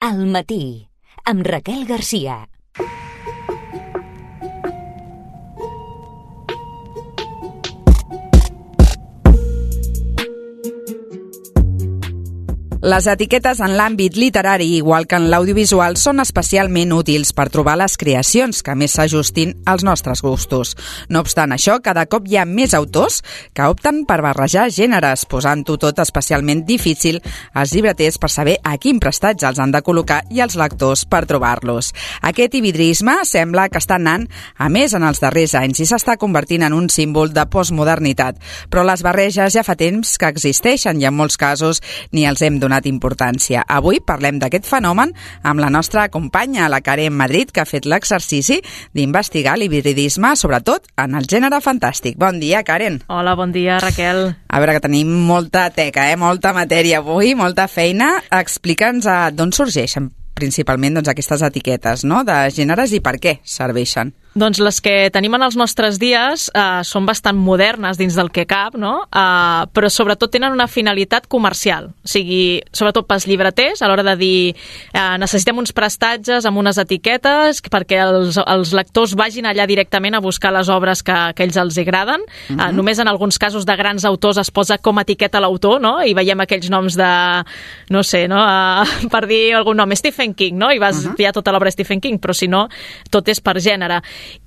Al matí, amb Raquel Garcia. Les etiquetes en l'àmbit literari, igual que en l'audiovisual, són especialment útils per trobar les creacions que més s'ajustin als nostres gustos. No obstant això, cada cop hi ha més autors que opten per barrejar gèneres, posant-ho tot especialment difícil als llibreters per saber a quin prestatge els han de col·locar i als lectors per trobar-los. Aquest hibridisme sembla que està anant a més en els darrers anys i s'està convertint en un símbol de postmodernitat. Però les barreges ja fa temps que existeixen i en molts casos ni els hem donat importància. Avui parlem d'aquest fenomen amb la nostra companya, la Karen Madrid, que ha fet l'exercici d'investigar l'hibridisme, sobretot en el gènere fantàstic. Bon dia, Karen. Hola, bon dia, Raquel. A veure, que tenim molta teca, molta matèria avui, molta feina. Explica'ns d'on sorgeixen principalment aquestes etiquetes, no?, de gèneres i per què serveixen. Doncs les que tenim en els nostres dies són bastant modernes dins del que cap, no? Però sobretot tenen una finalitat comercial. O sigui, sobretot pels llibreters, a l'hora de dir necessitem uns prestatges amb unes etiquetes perquè els lectors vagin allà directament a buscar les obres que ells els agraden. Només en alguns casos de grans autors es posa com a etiqueta l'autor, no? I veiem aquells noms de, no sé, no? Per dir algun nom, Stephen King, no? I vas triar tota l'obra de Stephen King, però si no, tot és per gènere.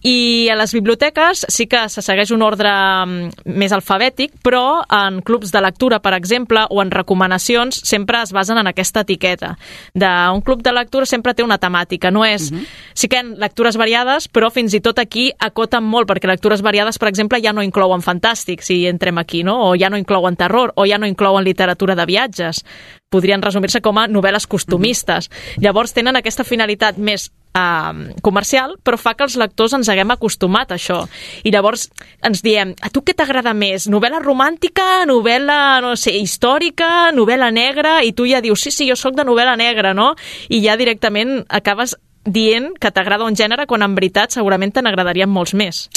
I a les biblioteques sí que se segueix un ordre més alfabètic, però en clubs de lectura, per exemple, o en recomanacions, sempre es basen en aquesta etiqueta. Un club de lectura sempre té una temàtica, no és... Sí que hi ha lectures variades, però fins i tot aquí acoten molt, perquè lectures variades, per exemple, ja no inclouen fantàstic, si entrem aquí, no? O ja no inclouen terror, o ja no inclouen literatura de viatges. Podrien resumir-se com a novel·les costumistes. Llavors tenen aquesta finalitat més comercial, però fa que els lectors ens haguem acostumat a això. I llavors ens diem, a tu què t'agrada més? Novel·la romàntica, novel·la, no sé, històrica, novel·la negra? I tu ja dius, sí, jo sóc de novel·la negra, no? I ja directament acabes dient que t'agrada un gènere quan en veritat segurament te n'agradarien molts més.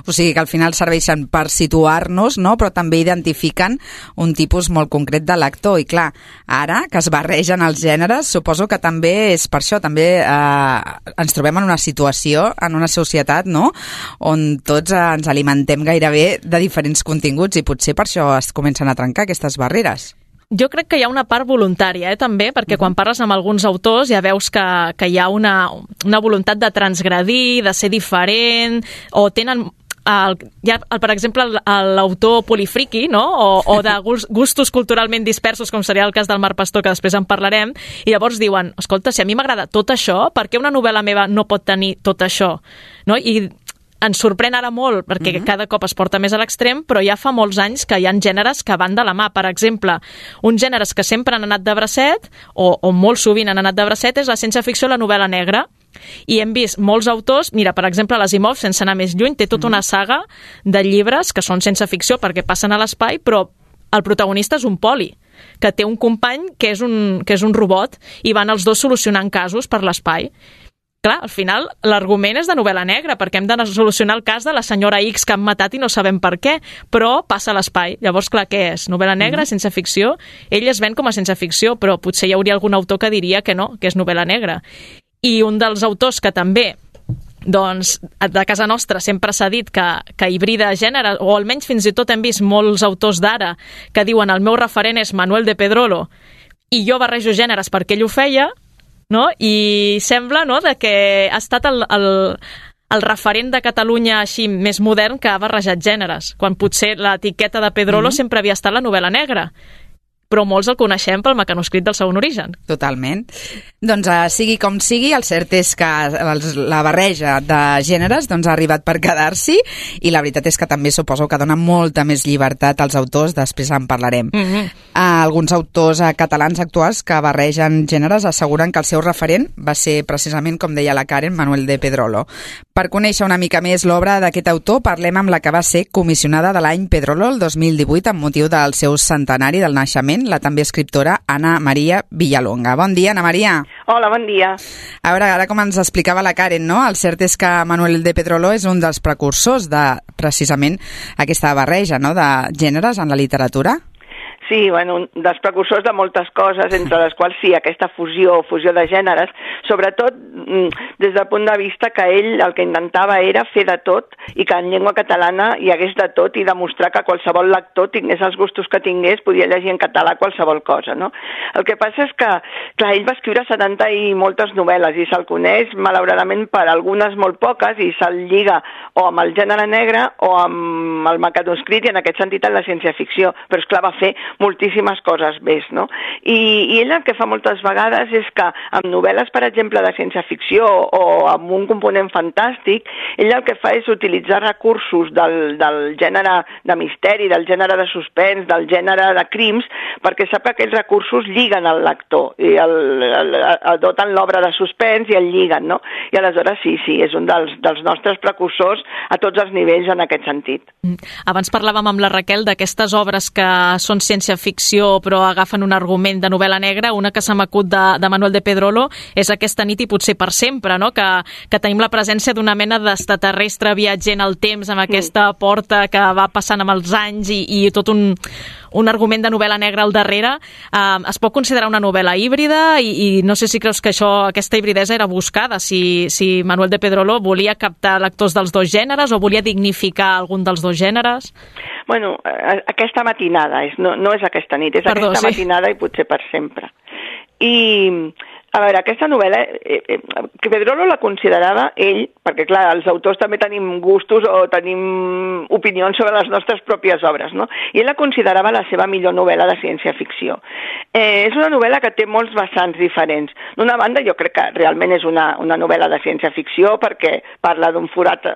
O sigui que al final serveixen per situar-nos, no? Però també identifiquen un tipus molt concret de lector. I clar, ara que es barregen els gèneres, suposo que també és per això, també ens trobem en una situació, en una societat, no?, on tots ens alimentem gairebé de diferents continguts i potser per això es comencen a trencar aquestes barreres. Jo crec que hi ha una part voluntària, també, perquè quan parles amb alguns autors ja veus que hi ha una voluntat de transgredir, de ser diferent, o tenen... per exemple, l'autor polifriqui, no? O de gustos culturalment dispersos, com seria el cas del Marc Pastor, que després en parlarem, i llavors diuen, escolta, si a mi m'agrada tot això, per què una novel·la meva no pot tenir tot això? No? I ens sorprèn ara molt, perquè cada cop es porta més a l'extrem, però ja fa molts anys que hi ha gèneres que van de la mà. Per exemple, uns gèneres que sempre han anat de bracet, o molt sovint han anat de bracet, és la ciència-ficció i la novel·la negra. I hem vist molts autors, mira, per exemple, l'Asimov, sense anar més lluny, té tota una saga de llibres que són sense ficció perquè passen a l'espai, però el protagonista és un poli, que té un company que és un robot, i van els dos solucionant casos per l'espai. Clar, al final l'argument és de novel·la negra, perquè hem de solucionar el cas de la senyora X que han matat i no sabem per què, però passa a l'espai. Llavors, clar, què és? Novel·la negra, sense ficció? Ell es ven com a sense ficció, però potser hi hauria algun autor que diria que no, que és novel·la negra. I un dels autors que també, doncs, de casa nostra sempre s'ha dit que hibrida gènere, o almenys fins i tot hem vist molts autors d'ara que diuen el meu referent és Manuel de Pedrolo i jo barrejo gèneres perquè ell ho feia, no? I sembla, no?, que ha estat el referent de Catalunya així més modern que ha barrejat gèneres, quan potser l'etiqueta de Pedrolo sempre havia estat la novel·la negra. Però molts el coneixem pel mecanoscrit del segon origen. Totalment. Doncs sigui com sigui, el cert és que la barreja de gèneres ha arribat per quedar-s'hi, i la veritat és que també suposo que dona molta més llibertat als autors, després en parlarem. Alguns autors catalans actuals que barregen gèneres asseguren que el seu referent va ser precisament, com deia la Karen, Manuel de Pedrolo. Per conèixer una mica més l'obra d'aquest autor, parlem amb la que va ser comissionada de l'any Pedrolo el 2018 amb motiu del seu centenari del naixement, la també escriptora Ana Maria Villalonga. Bon dia, Ana Maria. Hola, bon dia. A veure, ara com ens explicava la Karen, no? El cert és que Manuel de Pedrolo és un dels precursors de, precisament, aquesta barreja, no?, de gèneres en la literatura. Sí, bueno, dels precursors de moltes coses, entre les quals sí, aquesta fusió de gèneres, sobretot des del punt de vista que ell el que intentava era fer de tot i que en llengua catalana hi hagués de tot i demostrar que qualsevol lector tingués els gustos que tingués, podia llegir en català qualsevol cosa, no? El que passa és que, clar, ell va escriure 70 i moltes novel·les i se'l coneix, malauradament, per algunes molt poques i se'l lliga o amb el gènere negre o amb el mecanoscrit i en aquest sentit en la ciència-ficció, però esclar, va fer moltíssimes coses més, no? I ell el que fa moltes vegades és que amb novel·les, per exemple, de ciència-ficció o amb un component fantàstic, ell el que fa és utilitzar recursos del gènere de misteri, del gènere de suspens, del gènere de crims, perquè sap que aquells recursos lliguen al lector i doten l'obra de suspens i el lliguen, no? I aleshores sí, és un dels nostres precursors a tots els nivells en aquest sentit. Abans parlàvem amb la Raquel d'aquestes obres que són ciència-ficció però agafen un argument de novel·la negra. Una que se m'acut de Manuel de Pedrolo és Aquesta nit i potser per sempre, no? Que tenim la presència d'una mena d'extraterrestre viatger en el temps amb aquesta porta que va passant amb els anys i tot un argument de novel·la negra al darrere. Es pot considerar una novel·la híbrida i no sé si creus que aquesta hibridesa era buscada, si Manuel de Pedrolo volia captar lectors dels dos gèneres o volia dignificar algun dels dos gèneres? Bueno, aquesta matinada, no és aquesta nit, és aquesta matinada i potser per sempre. I, a veure, aquesta novel·la, que Pedrolo la considerava ell, perquè clar, els autors també tenim gustos o tenim opinions sobre les nostres pròpies obres, no? I ell la considerava la seva millor novel·la de ciència-ficció. És una novel·la que té molts vessants diferents. D'una banda, jo crec que realment és una novel·la de ciència-ficció perquè parla d'un forat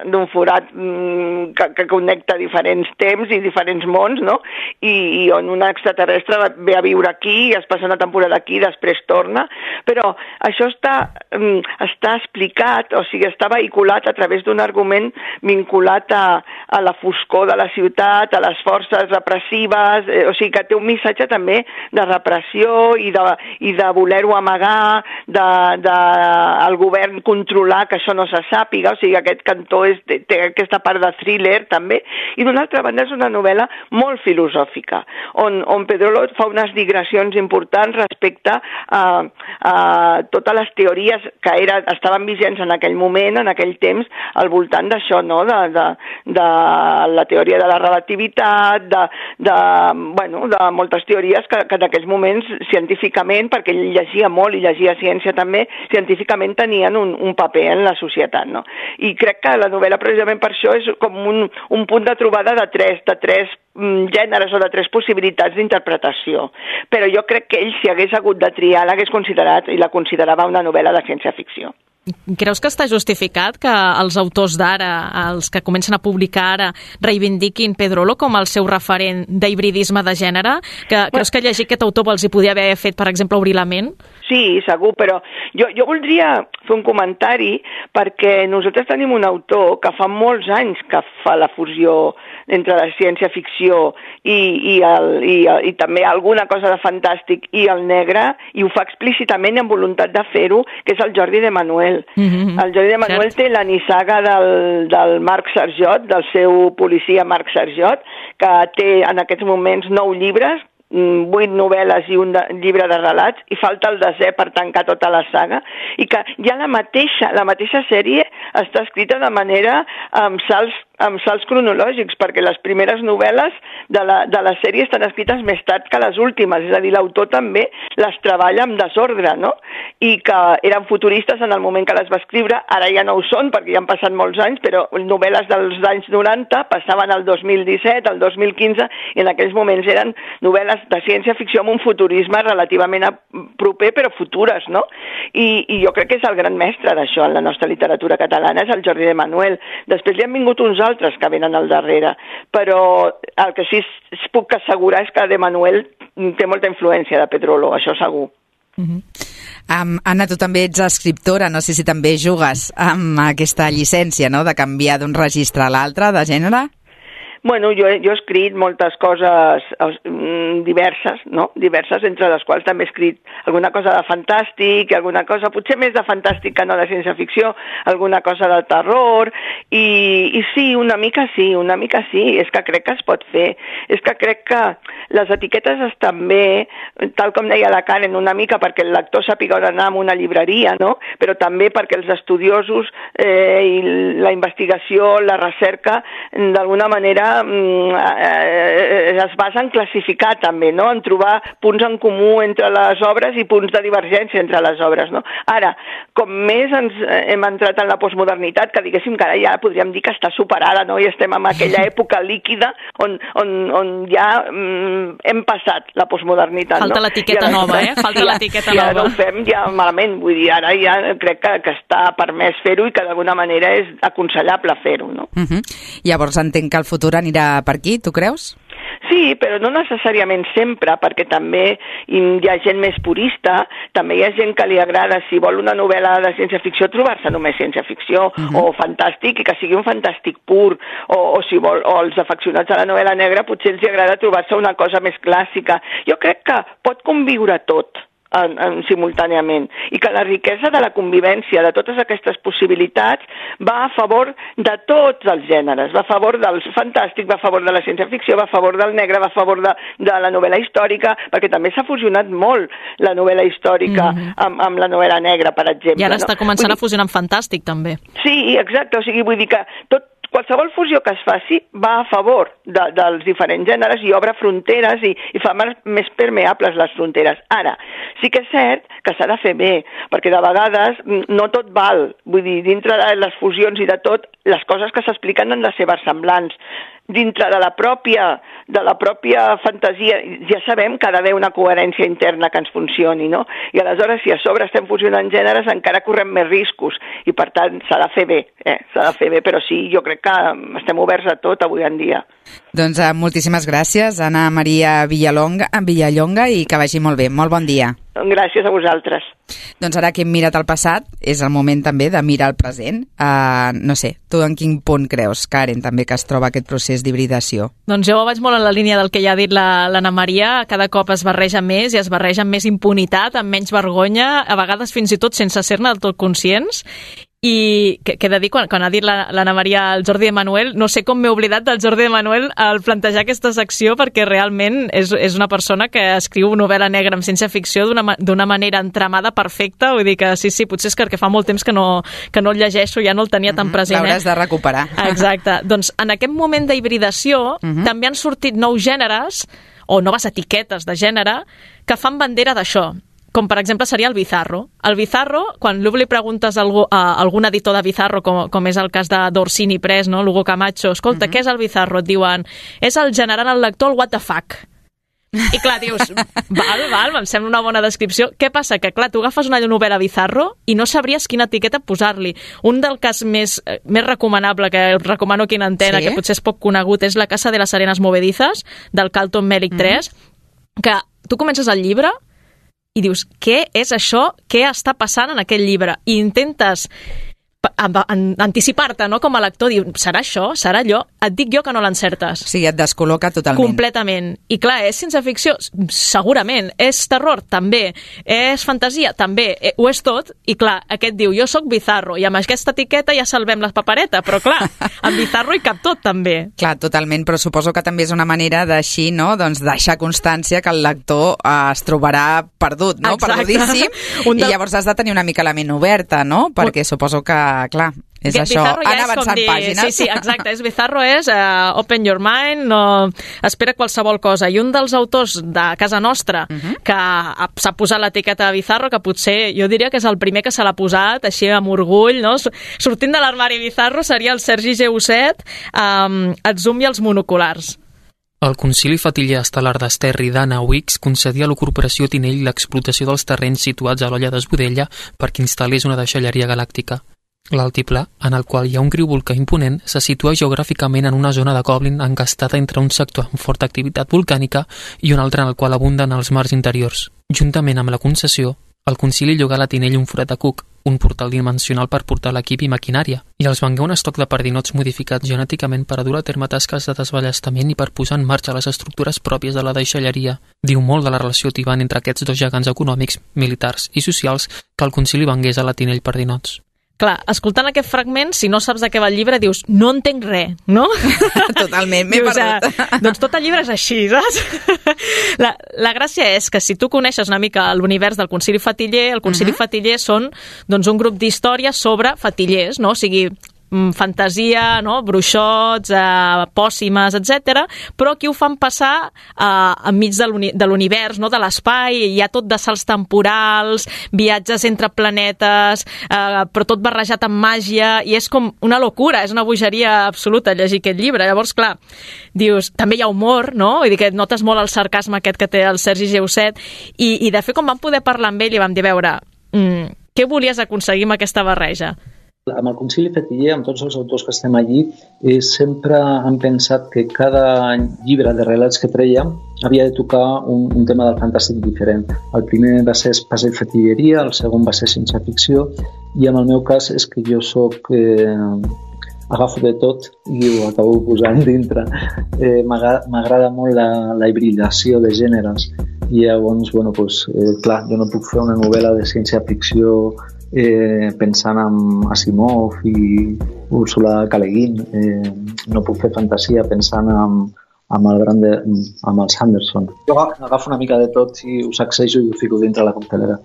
que connecta diferents temps i diferents mons, no? I on un extraterrestre ve a viure aquí, es passa una temporada aquí, després torna, però això està explicat, o sigui, està vehiculat a través d'un argument vinculat a la foscor de la ciutat, a les forces repressives, o sigui que té un missatge també de repressió i de voler-ho amagar, el govern controlar que això no se sàpiga, o sigui, aquest cantó té aquesta part de thriller també, i d'una altra banda és una novel·la molt filosòfica, on Pedrolo fa unes digressions importants respecte a totes les teories que estaven vigents en aquell moment, en aquell temps, al voltant d'això, no? De la teoria de la relativitat, de moltes teories que en aquells moments científicament, perquè ell llegia molt i llegia ciència també, científicament tenien un paper en la societat, no? I crec que la novel·la precisament per això és com un punt de trobada de tres gèneres o de tres possibilitats d'interpretació. Però jo crec que ell, si hagués hagut de triar, l'hagués considerat i la considerava una novel·la de ciència-ficció. Creus que està justificat que els autors d'ara, els que comencen a publicar ara, reivindiquin Pedrolo com el seu referent d'hibridisme de gènere? Creus que llegir aquest autor els hi podia haver fet, per exemple, obrir la ment? Sí, segur, però jo voldria fer un comentari perquè nosaltres tenim un autor que fa molts anys que fa la fusió entre la ciència-ficció i també alguna cosa de fantàstic i el negre, i ho fa explícitament amb voluntat de fer-ho, que és el Jordi de Manuel. El Jordi de Manuel té la nissaga del Marc Sarjot, del seu policia Marc Sarjot, que té en aquests moments 9 llibres, 8 novel·les i un llibre de relats, i falta el 10è per tancar tota la saga, i que ja la mateixa sèrie està escrita de manera amb salts cronològics, perquè les primeres novel·les de la sèrie estan escrites més tard que les últimes, és a dir, l'autor també les treballa amb desordre, no? I que eren futuristes en el moment que les va escriure, ara ja no ho són perquè ja han passat molts anys, però novel·les dels anys 90 passaven al 2017, al 2015, i en aquells moments eren novel·les de ciència-ficció amb un futurisme relativament proper, però futures, no? I jo crec que és el gran mestre d'això en la nostra literatura catalana, és el Jordi de Manuel. Després li han vingut uns altres que venen al darrere, però el que sí puc assegurar és que de Manuel té molta influència de Pedrolo, això segur. Anna, tu també ets escriptora, no sé si també jugues amb aquesta llicència, no?, de canviar d'un registre a l'altre de gènere? Bueno, jo he escrit moltes coses diverses, no? Diverses, entre les quals també he escrit alguna cosa de fantàstic, alguna cosa, potser més de fantàstic que no de ciència-ficció, alguna cosa de terror, i sí, una mica sí, és que crec que es pot fer, és que crec que les etiquetes estan bé, tal com deia la Karen, una mica perquè el lector sàpiga on anar a una llibreria, no? Però també perquè els estudiosos i la investigació, la recerca, d'alguna manera es basa en classificar també, no? En trobar punts en comú entre les obres i punts de divergència entre les obres, no? Ara, com més hem entrat en la postmodernitat, que diguéssim que ara ja podríem dir que està superada, no? I estem en aquella època líquida on ja hem passat la postmodernitat, Falta no? l'etiqueta nova, Falta l'etiqueta nova. Ja no ho fem ja malament, vull dir, ara ja crec que està permès fer-ho i que d'alguna manera és aconsellable fer-ho, no? Llavors entenc que el futur anirà per aquí, tu creus? Sí, però no necessàriament sempre, perquè també hi ha gent més purista, també hi ha gent que li agrada, si vol una novel·la de ciència-ficció, trobar-se només ciència-ficció o fantàstic, i que sigui un fantàstic pur, o si vol, o els afeccionats a la novel·la negra potser els agrada trobar-se una cosa més clàssica. Jo crec que pot conviure tot simultàniament, i que la riquesa de la convivència de totes aquestes possibilitats va a favor de tots els gèneres, va a favor del fantàstic, va a favor de la ciència-ficció, va a favor del negre, va a favor de la novel·la històrica, perquè també s'ha fusionat molt la novel·la històrica amb la novel·la negra, per exemple. I ara està començant a fusionar amb fantàstic, també. Sí, exacte, o sigui, vull dir que qualsevol fusió que es faci va a favor dels diferents gèneres i obre fronteres i fa més permeables les fronteres. Ara, sí que és cert que s'ha de fer bé, perquè de vegades no tot val. Vull dir, dintre de les fusions i de tot, les coses que s'expliquen han de ser versemblants. Dintre de la pròpia fantasia ja sabem que ha d'haver una coherència interna que ens funcioni, no? I aleshores, si a sobre estem fusionant gèneres, encara correm més riscos, i per tant s'ha de fer bé, s'ha de fer bé, però sí, jo crec que estem oberts a tot avui en dia. Doncs moltíssimes gràcies, Anna Maria Villallonga, i que vagi molt bé. Molt bon dia. Gràcies a vosaltres. Doncs ara que hem mirat el passat, és el moment també de mirar el present. No sé, tu en quin punt creus, Karen, també que es troba aquest procés d'hibridació? Doncs jo vaig molt en la línia del que ja ha dit l'Anna Maria. Cada cop es barreja més i es barreja amb més impunitat, amb menys vergonya, a vegades fins i tot sense ser-ne del tot conscients. I que he de dir, quan ha dit l'Anna Maria el Jordi Emanuel, no sé com m'he oblidat del Jordi Emanuel al plantejar aquesta secció, perquè realment és una persona que escriu novel·la negra amb ciència-ficció d'una manera entramada perfecta. Vull dir que sí, potser és que fa molt temps que no el llegeixo, ja no el tenia tan present. L'hauràs de recuperar. Exacte. Doncs en aquest moment d'hibridació també han sortit nous gèneres o noves etiquetes de gènere que fan bandera d'això. Com per exemple seria el Bizarro. El Bizarro, quan li preguntes a algun editor de Bizarro, com és el cas d'Orsini Press, no? Lugo Camacho, escolta, què és el Bizarro? Et diuen, és el generant al lector el what the fuck. I clar, dius, val, em sembla una bona descripció. Què passa? Que clar, tu agafes una novel·la Bizarro i no sabries quina etiqueta posar-li. Un del cas més recomanable, que recomano aquí en antena, que potser és poc conegut, és La casa de las arenas movedizas, del Carlton Mellick III, que tu comences el llibre i dius, què és això? Què està passant en aquest llibre? I intentes anticipar-te, no? Com a lector, diu, serà això? Serà allò? Et dic jo que no l'encertes. Sí, et descol·loca totalment. Completament. I clar, és ciència-ficció? Segurament. És terror? També. És fantasia? També. Ho és tot. I clar, aquest diu, jo sóc Bizarro, i amb aquesta etiqueta ja salvem la papereta, però clar, amb Bizarro hi cap tot, també. Clar, totalment, però suposo que també és una manera d'així, no?, doncs deixar constància que el lector es trobarà perdut, no?, perdudíssim, i llavors has de tenir una mica la ment oberta, no?, perquè suposo que clar, és això, anar avançant pàgines. Sí, exacte, Bizarro és open your mind, no espera qualsevol cosa. I un dels autors de casa nostra que s'ha posat l'etiqueta de Bizarro, que potser jo diria que és el primer que se l'ha posat, així amb orgull, no? Sortint de l'armari Bizarro, seria el Sergi Geuset, el zoom i els monoculars. El Concili Fatiller Estel·lar d'Esterri d'Anna Wicks concedia a la Corporació Tinell l'explotació dels terrenys situats a l'Olla d'Esbudella perquè instal·lés una deixalleria galàctica. L'altiplà, en el qual hi ha un riu volcà imponent, se situa geogràficament en una zona de Goblin encastada entre un sector amb forta activitat volcànica i un altre en el qual abunden els mars interiors. Juntament amb la concessió, el concili llogà a la Tinell un forat de cuc, un portal dimensional per portar l'equip i maquinària, i els vengué un estoc de pardinots modificats genèticament per a dur a terme tasques de desballestament i per posar en marxa les estructures pròpies de la deixalleria. Diu molt de la relació tibant entre aquests dos gegants econòmics, militars i socials que el concili vengués a la Tinell Pardinots. Clar, escoltant aquest fragment, si no saps de què va el llibre, dius, no entenc res, no? Totalment, m'he perdut. Doncs tot el llibre és així, saps? La gràcia és que si tu coneixes una mica l'univers del Concili Fatiller, el Concili Fatiller són doncs, un grup d'històries sobre fatillers, no? O sigui, fantasia, no? Bruixots, pòssimes, etc. Però aquí ho fan passar enmig de l'univers, no? De l'espai, hi ha tot de salts temporals, viatges entre planetes, però tot barrejat amb màgia, i és com una locura, és una bogeria absoluta llegir aquest llibre. Llavors, clar, dius, també hi ha humor, no? Vull dir que notes molt el sarcasme aquest que té el Sergi Geuset, i de fet, quan vam poder parlar amb ell, i vam dir, veure, què volies aconseguir amb aquesta barreja? Amb el Concili Fatiller, amb tots els autors que estem allí, sempre hem pensat que cada llibre de relats que trèiem havia de tocar un tema del fantàstic diferent. El primer va ser Espasa i Fatilleria, el segon va ser Ciència Ficció, i en el meu cas és que jo agafo de tot i ho acabo posant dintre. M'agrada molt la hibridació de gèneres, i llavors, clar, jo no puc fer una novel·la de ciència-ficció pensant en Asimov i Ursula K. Le Guin, no puc fer fantasia pensant amb el Sanderson. Jo agafo una mica de tot i ho sacsejo i ho fico dintre la coctelera.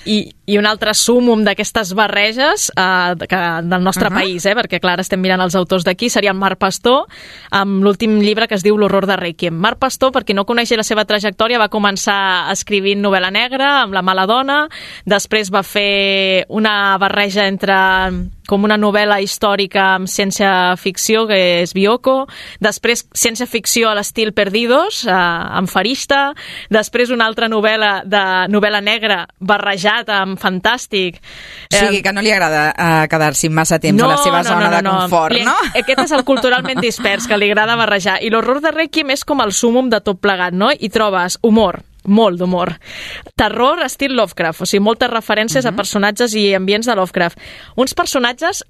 I un altre súmum d'aquestes barreges del nostre país, perquè clar, estem mirant els autors d'aquí, seria en Marc Pastor, amb l'últim llibre que es diu L'horror de Requiem. Marc Pastor, per qui no coneixi la seva trajectòria, va començar escrivint novel·la negra amb La mala dona, després va fer una barreja entre com una novel·la històrica amb ciència-ficció, que és Bioko, després ciència-ficció a l'estil Perdidos, amb Farista, després una altra novel·la negra barrejat amb fantàstic. O sigui, que no li agrada quedar-s'hi massa temps a la seva zona de confort, no? Aquest és el culturalment dispers, que li agrada barrejar. I L'horror de Requiem és com el súmum de tot plegat, no? I trobes humor, molt d'humor. Terror estil Lovecraft, o sigui, moltes referències a personatges i ambients de Lovecraft. Uns personatges...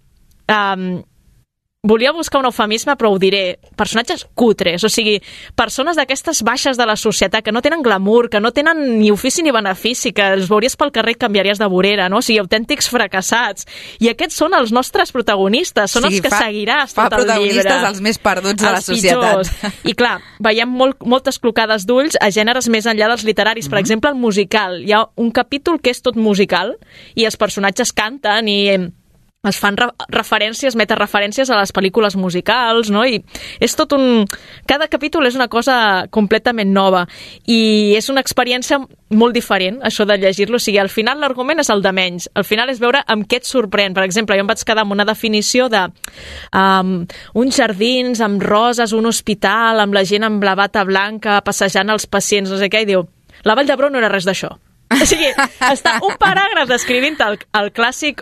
volia buscar un eufemisme, però ho diré. Personatges cutres, o sigui, persones d'aquestes baixes de la societat, que no tenen glamour, que no tenen ni ofici ni benefici, que els veuries pel carrer i canviaries de vorera, no? O sigui, autèntics fracassats. I aquests són els nostres protagonistes, són els que seguiràs tot el llibre. Fa protagonistes els més perduts de la societat. I clar, veiem moltes clocades d'ulls a gèneres més enllà dels literaris. Per exemple, el musical. Hi ha un capítol que és tot musical i els personatges canten i es fan metareferències a les pel·lícules musicals, no? I és tot cada capítol és una cosa completament nova i és una experiència molt diferent, això de llegir-lo. O sigui, al final l'argument és el de menys. Al final és veure amb què et sorprèn. Per exemple, jo em vaig quedar amb una definició de uns jardins amb roses, un hospital, amb la gent amb la bata blanca, passejant els pacients, no sé què, i diu, la Vall d'Hebron no era res d'això. O sigui, està un paràgraf descrivint el clàssic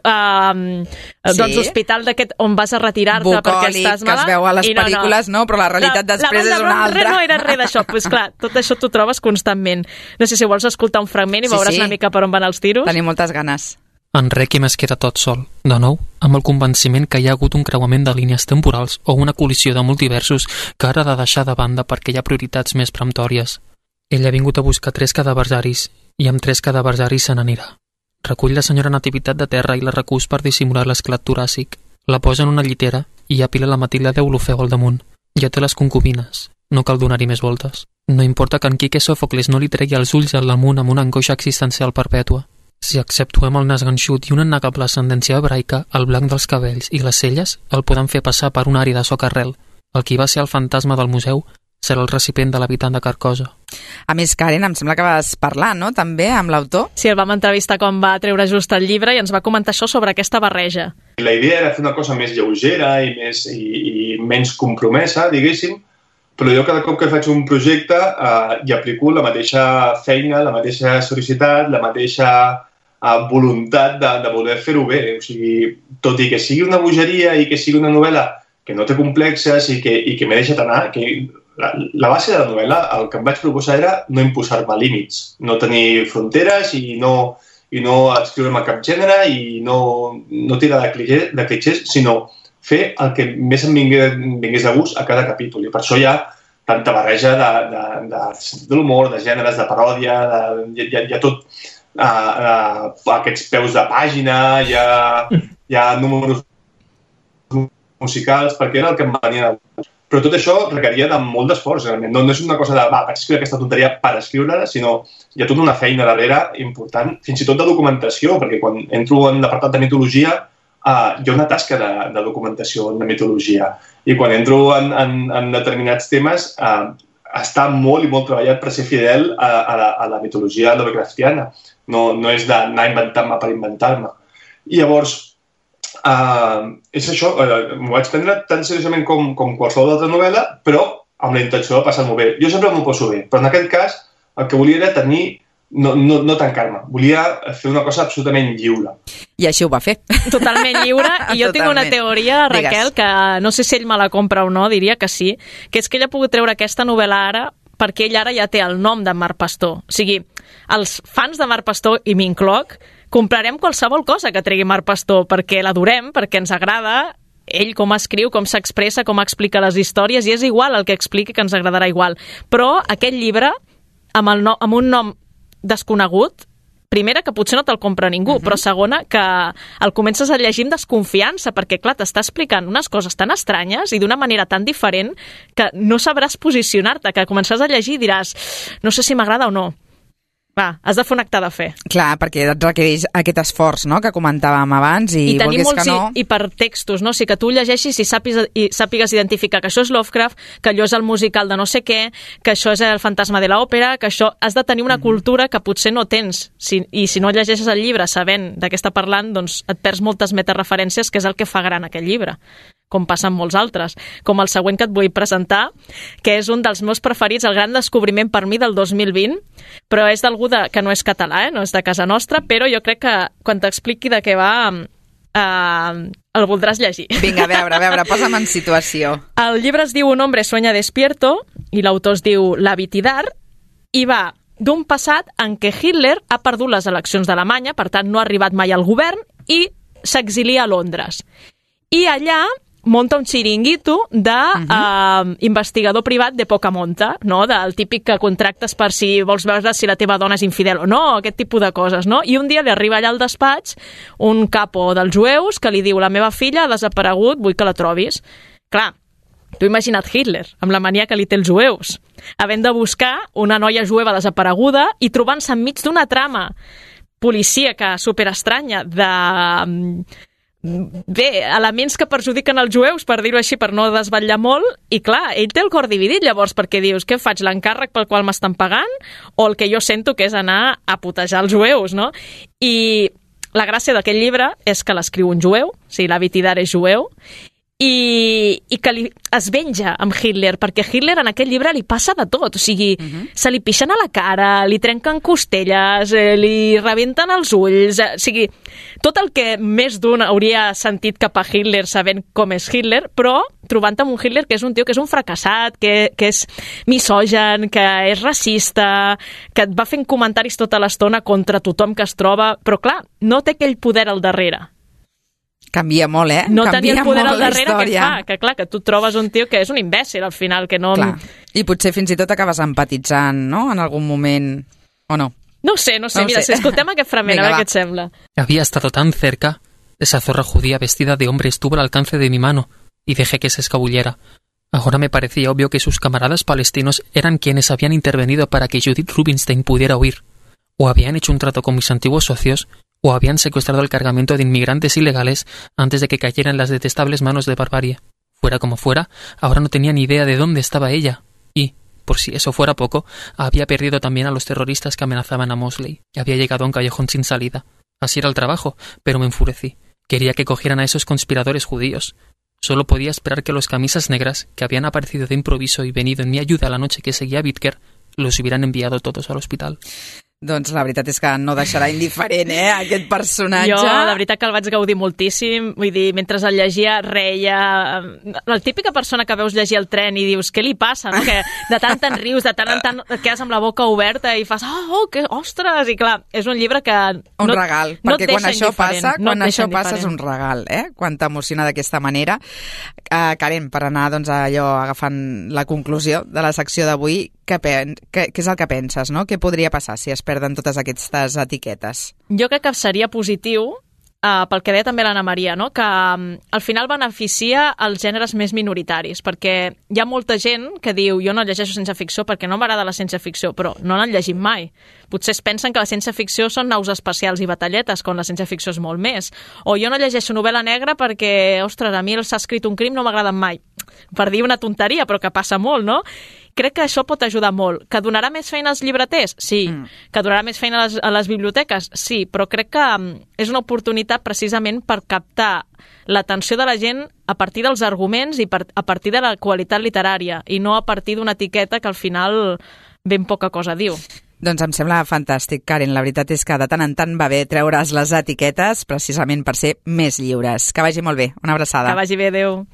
hospital d'aquest on vas a retirar-te perquè estàs malalt. Que es veu a les pel·lícules, no? Però la realitat després és una altra. No era res d'això. Pues clar, tot això t'ho trobes constantment. No sé si vols escoltar un fragment i veuràs una mica per on van els tiros. Tenim moltes ganes. En Requiem es queda tot sol, de nou, amb el convenciment que hi ha hagut un creuament de línies temporals o una col·lisió de multiversos que ara ha de deixar de banda perquè hi ha prioritats més peremptòries. Ell ha vingut a buscar 3 cadaversaris i amb 3 cadaversaris se n'anirà. Recull la senyora Nativitat de terra i la recús per dissimular l'esclat toràcic. La posa en una llitera i apila la Matilda d'Eulofeu al damunt. Ja té les concubines. No cal donar-hi més voltes. No importa que en Quique Sòfocles no li tregui els ulls al damunt amb una angoixa existencial perpètua. Si exceptuem el nas ganxut i una innegable ascendència hebraica, el blanc dels cabells i les celles el poden fer passar per un àrea de socarrel. El qui va ser el fantasma del museu serà el recipient de l'habitant de Carcosa. A més, Karen, em sembla que vas parlar, no?, també, amb l'autor? Sí, el vam entrevistar quan va treure just el llibre i ens va comentar això sobre aquesta barreja. La idea era fer una cosa més lleugera i menys compromesa, diguéssim, però jo cada cop que faig un projecte hi aplico la mateixa feina, la mateixa seriositat, la mateixa voluntat de voler fer-ho bé. O sigui, tot i que sigui una bogeria i que sigui una novel·la que no té complexes i que m'he deixat anar, que la base de la novel·la, el que em vaig proposar era no imposar-me límits, no tenir fronteres i no i no escriure'm a cap gènere i no tirar de clichés, sinó fer el que més em vingués de gust a cada capítol. I per això hi ha tanta barreja de l'humor, de gèneres, de paròdia, hi ha tot aquests peus de pàgina, hi ha números musicals, perquè era el que em venia de gust. Però tot això requeria de molt d'esforç, realment. No és una cosa de, vaig escriure aquesta tonteria per escriure-la, sinó hi ha tota una feina darrere important, fins i tot de documentació, perquè quan entro en l'apartat de mitologia hi ha una tasca de documentació de mitologia. I quan entro en determinats temes està molt i molt treballat per ser fidel a la mitologia lovecraftiana. No és d'anar a inventar-me per inventar-me. I llavors, és això, m'ho vaig prendre tan seriosament com qualsevol altra novel·la, però amb la intenció de passar-m'ho bé. Jo sempre m'ho poso bé, però en aquest cas el que volia era tenir, no tancar-me, volia fer una cosa absolutament lliure. I així ho va fer. Totalment lliure, i jo tinc una teoria, Raquel, que no sé si ell me la compra o no, diria que sí, que és que ell ha pogut treure aquesta novel·la ara perquè ell ara ja té el nom de Marc Pastor. O sigui, els fans de Marc Pastor, i m'incloc, comprarem qualsevol cosa que tregui Marc Pastor perquè l'adorem, perquè ens agrada ell com escriu, com s'expressa, com explica les històries, i és igual el que expliqui, que ens agradarà igual. Però aquest llibre, amb un nom desconegut, primera, que potser no te'l compra ningú, però segona, que el comences a llegir amb desconfiança, perquè, clar, t'està explicant unes coses tan estranyes i d'una manera tan diferent que no sabràs posicionar-te, que començaràs a llegir i diràs, no sé si m'agrada o no. Va, has de fer un acte de fe. Clar, perquè et requereix aquest esforç, no?, que comentàvem abans, i tenir molts que no... hipertextos, no? O sigui, que tu llegeixis i sàpigues identificar que això és Lovecraft, que allò és el musical de no sé què, que això és el fantasma de l'òpera, que això... Has de tenir una cultura que potser no tens, i si no llegeixes el llibre sabent de què està parlant, doncs et perds moltes metareferències, que és el que fa gran aquest llibre, com passa amb molts altres, com el següent que et vull presentar, que és un dels meus preferits, el gran descobriment per mi del 2020, però és d'algú que no és català, no és de casa nostra, però jo crec que quan t'expliqui de què va el voldràs llegir. Vinga, a veure, posa'm en situació. El llibre es diu Un hombre sueña despierto, i l'autor es diu La Vitidar, i va d'un passat en què Hitler ha perdut les eleccions d'Alemanya, per tant no ha arribat mai al govern, i s'exilia a Londres. I allà munta un xiringuito d'investigador privat de poca monta, no? Del típic que contractes per si vols veure si la teva dona és infidel o no, aquest tipus de coses, no? I un dia li arriba allà al despatx un capo dels jueus que li diu: la meva filla ha desaparegut, vull que la trobis. Clar, tu imagina't Hitler, amb la mania que li té els jueus, havent de buscar una noia jueva desapareguda i trobant-se enmig d'una trama policíaca superestranya de... elements que perjudiquen els jueus, per dir-ho així, per no desvetllar molt, i clar, ell té el cor dividit llavors, perquè dius, què faig, l'encàrrec pel qual m'estan pagant o el que jo sento que és anar a putejar els jueus, no? I la gràcia d'aquest llibre és que l'escriu un jueu, o sigui, la Vitidar és jueu, i que es venja amb Hitler, perquè Hitler en aquest llibre li passa de tot, o sigui, se li pixen a la cara, li trenquen costelles, li rebenten els ulls, o sigui, tot el que més d'un hauria sentit cap a Hitler sabent com és Hitler, però trobant amb un Hitler que és un tio que és un fracassat, que és misogen, que és racista, que et va fent comentaris tota l'estona contra tothom que es troba, però clar, no té aquell poder al darrere. Canvia molt, no tenia el poder al darrere que et fa, que clar, que tu trobes un tio que és un imbècil al final, que no... Clar. I potser fins i tot acabes empatitzant, no?, en algun moment, o no? No sé, mira, si escoltem aquest fragment, a veure què et sembla. Había estado tan cerca. Esa zorra judía vestida de hombre estuvo al alcance de mi mano y dejé que se escabullera. Ahora me parecía obvio que sus camaradas palestinos eran quienes habían intervenido para que Judith Rubinstein pudiera huir. O habían hecho un trato con mis antiguos socios, o habían secuestrado el cargamento de inmigrantes ilegales antes de que cayera en las detestables manos de barbarie. Fuera como fuera, ahora no tenía ni idea de dónde estaba ella. Y, por si eso fuera poco, había perdido también a los terroristas que amenazaban a Mosley. Había llegado a un callejón sin salida. Así era el trabajo, pero me enfurecí. Quería que cogieran a esos conspiradores judíos. Solo podía esperar que los camisas negras, que habían aparecido de improviso y venido en mi ayuda la noche que seguía a Bitker, los hubieran enviado todos al hospital. Doncs la veritat és que no deixarà indiferent, aquest personatge. Jo, la veritat que el vaig gaudir moltíssim. Vull dir, mentre el llegia, reia. La típica persona que veus llegir el tren i dius, què li passa, no? Que de tant en rius, de tant en tant quedes amb la boca oberta i fas, ostres! I clar, és un llibre que... Un regal, perquè quan això passa, és un regal, quan t'emociona d'aquesta manera. Karen, per anar allò agafant la conclusió de la secció d'avui, què és el que penses, no? Què podria passar si es perden totes aquestes etiquetes? Jo crec que seria positiu, pel que deia també l'Anna Maria, no? Que al final beneficia els gèneres més minoritaris, perquè hi ha molta gent que diu jo no llegeixo ciència ficció perquè no m'agrada la ciència ficció, però no l'han llegit mai. Potser es pensen que la ciència ficció són naus espacials i batalletes, quan la ciència ficció és molt més. O jo no llegeixo novel·la negra perquè, ostres, a mi s'ha escrit un crim no m'agraden mai. Per dir una tonteria, però que passa molt, no? Crec que això pot ajudar molt. Que donarà més feina als llibreters? Sí. Que donarà més feina a les biblioteques? Sí, però crec que és una oportunitat precisament per captar l'atenció de la gent a partir dels arguments i a partir de la qualitat literària i no a partir d'una etiqueta que al final ben poca cosa diu. Doncs em sembla fantàstic, Karen. La veritat és que de tant en tant va bé treure's les etiquetes precisament per ser més lliures. Que vagi molt bé. Una abraçada. Que vagi bé, adéu.